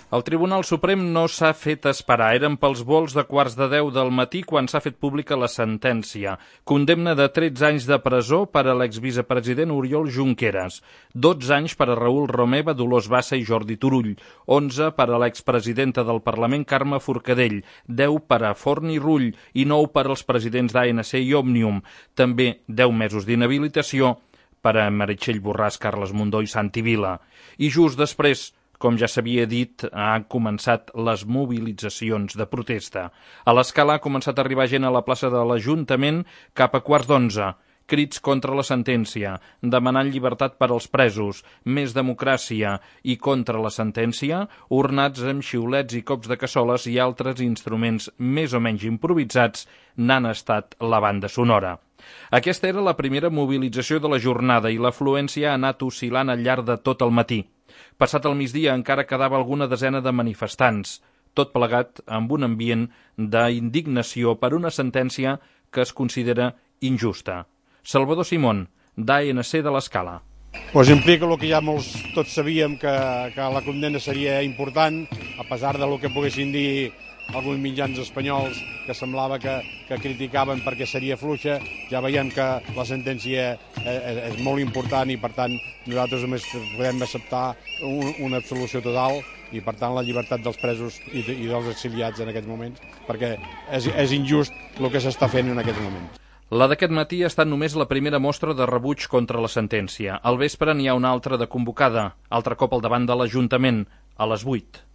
El Tribunal Suprem no s'ha fet esperar. Eren pels volts de 9:15 del matí quan s'ha fet pública la sentència. Condemna de 13 anys de presó per a l'exvicepresident Oriol Junqueras, 12 anys per a Raül Romeva, Dolors Bassa i Jordi Turull, 11 per a l'expresidenta del Parlament Carme Forcadell, 10 per a Forn i Rull i 9 per als presidents d'ANC i Òmnium. També 10 mesos d'inhabilitació per a Meritxell Borràs, Carles Mundó i Santi Vila. I just després, com ja s'havia dit, han començat les mobilitzacions de protesta. A l'Escala ha començat a arribar gent a la plaça de l'Ajuntament cap a 9:15. Crits contra la sentència, demanant llibertat per als presos, més democràcia i contra la sentència, ornats amb xiulets i cops de cassoles i altres instruments més o menys improvisats n'han estat la banda sonora. Aquesta era la primera mobilització de la jornada i l'afluència ha anat oscil·lant al llarg de tot el matí. Passat el migdia encara quedava alguna desena de manifestants, tot plegat amb un ambient d'indignació per una sentència que es considera injusta. Salvador Simón, d'ANC de l'Escala. Pues implica el que ja tots sabíem, que la condemna seria important, a pesar del que poguessin dir alguns mitjans espanyols que semblava que criticaven perquè seria fluixa. Ja veiem que la sentència és molt important i, per tant, nosaltres només podem acceptar una absolució total i, per tant, la llibertat dels presos i dels exiliats en aquests moments, perquè és injust el que s'està fent en aquests moments. La d'aquest matí ha estat només la primera mostra de rebuig contra la sentència. Al vespre n'hi ha una altra de convocada, altre cop al davant de l'Ajuntament, a les 8.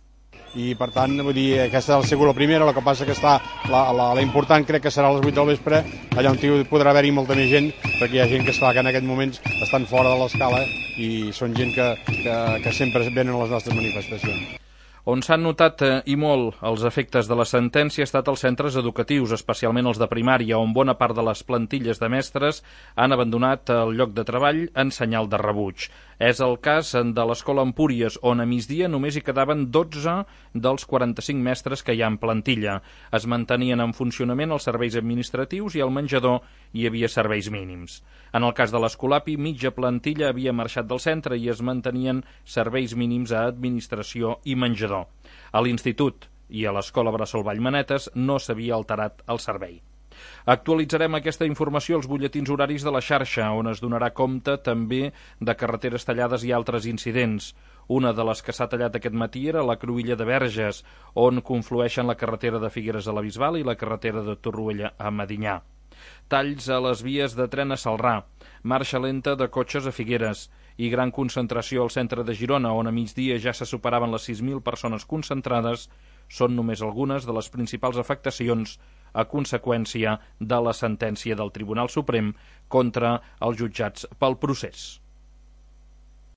I, per tant, vull dir, aquesta ha sigut la primera, el que passa que està la important crec que serà a les 8 del vespre, allà on podrà haver-hi molta més gent, perquè hi ha gent que en aquests moments estan fora de l'Escala i són gent que sempre venen a les nostres manifestacions. On s'han notat i molt els efectes de la sentència ha estat als centres educatius, especialment els de primària, on bona part de les plantilles de mestres han abandonat el lloc de treball en senyal de rebuig. És el cas de l'Escola Empúries, on a migdia només hi quedaven 12 dels 45 mestres que hi ha en plantilla. Es mantenien en funcionament els serveis administratius i al menjador hi havia serveis mínims. En el cas de l'Escolapi, mitja plantilla havia marxat del centre i es mantenien serveis mínims a administració i menjador. A l'Institut i a l'Escola Bressol Vallmanetes no s'havia alterat el servei. Actualitzarem aquesta informació als butlletins horaris de la xarxa, on es donarà compte també de carreteres tallades i altres incidents. Una de les que s'ha tallat aquest matí era la Cruïlla de Verges, on conflueixen la carretera de Figueres a la Bisbal i la carretera de Torroella a Medinyà. Talls a les vies de tren a Celrà, marxa lenta de cotxes a Figueres i gran concentració al centre de Girona, on a migdia ja se superaven les 6.000 persones concentrades, són només algunes de les principals afectacions a conseqüència de la sentència del Tribunal Suprem contra els jutjats pel procés.